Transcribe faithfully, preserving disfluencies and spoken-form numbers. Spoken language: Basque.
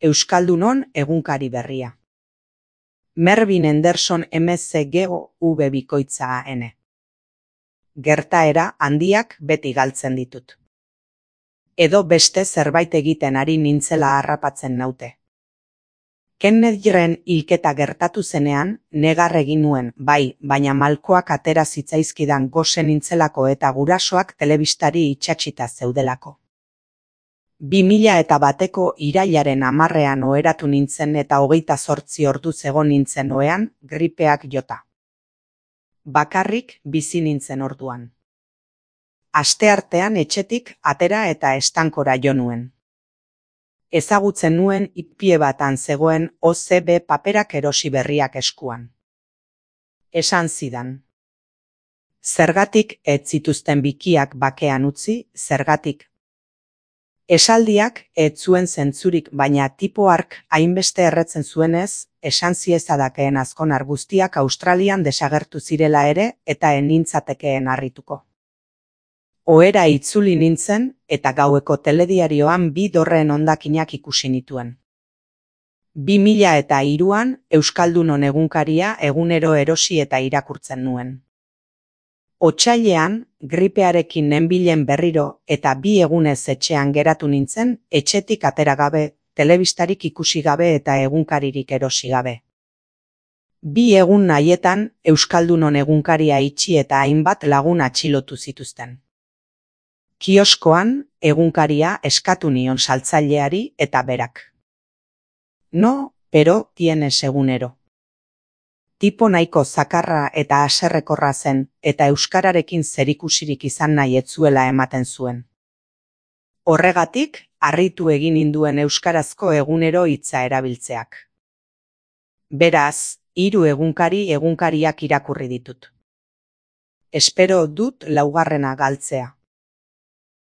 Euskaldunon egunkari berria. Mervyn Henderson M C G O V bikoitza N. Gertaera handiak beti galtzen ditut. Edo beste zerbait egiten ari nintzela harrapatzen naute. Kennedyren hilketa gertatu zenean, negar egin nuen, bai, baina malkoak atera zitzaizkidan gose nintzelako eta gurasoak telebistari itsatsita zeudelako. Bi mila eta bateko irailaren hamarrean oheratu nintzen eta hogeita zortzi orduz egon nintzen ohean, gripeak jota. Bakarrik bizi nintzen orduan. Asteartean etxetik atera eta estankora jo nuen. Ezagutzen nuen ipie batan zegoen O C B paperak erosi berriak eskuan. Esan zidan. Zergatik ez zituzten bikiak bakean utzi, zergatik. Esaldiak ez zuen zentzurik, baina tipo hark hainbeste erretzen zuenez, esan ziezadakeen azkonar guztiak Australian desagertu zirela ere eta ez nintzatekeen harrituko. Ohera itzuli nintzen eta gaueko telediarioan bi dorreen hondakinak ikusi nituen. Bi mila eta hiruan Euskaldunon egunkaria egunero erosi eta irakurtzen nuen. Otsailean, gripearekin nenbilen berriro eta bi egunez etxean geratu nintzen, etxetik atera gabe, telebistarik ikusi gabe eta egunkaririk erosi gabe. Bi egun nahietan Euskaldunon egunkaria itxi eta hainbat lagun atxilotu zituzten. Kioskoan egunkaria eskatu nion saltzaileari eta berak. No, pero tienes egunero. Tipo nahiko zakarra eta haserrekorra zen eta euskararekin zerikusirik izan nahi ez zuela ematen zuen. Horregatik, harritu egin ninduen euskarazko egunero hitza erabiltzeak. Beraz, hiru egunkari egunkariak irakurri ditut. Espero dut laugarrena galtzea.